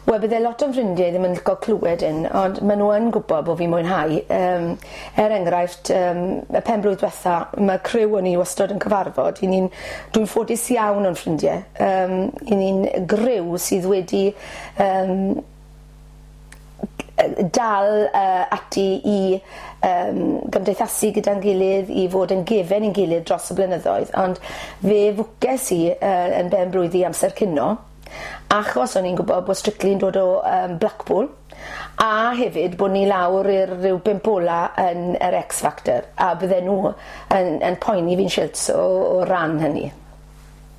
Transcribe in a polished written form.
Wel bydde lot o'n ffrindie ddim yn lico clywed 'yn ond ma' n'w yn gwbo bo' fi'n mwynhau yym er enghraifft yym y penblwydd dwetha ma' criw o ni wastod yn cyfarfod 'yn ni'n dwi'n ffodus iawn o'n ffrindie yym 'yn ni'n griw sydd wedi yym dal yy ati i yym gymdeithasu gyda'n gilydd i fod yn gefen i'n gilydd dros y blynyddoedd ond fe fwces i yy yn ben-blwydd i amser cino achos o'n i'n gwbod bod Strictly'n dod o yym Blackpool a hefyd bo' ni lawr i'r ryw bump ola yn yr X Factor a bydden nhw yn yn poeni fi'n shilts o o ran hynny.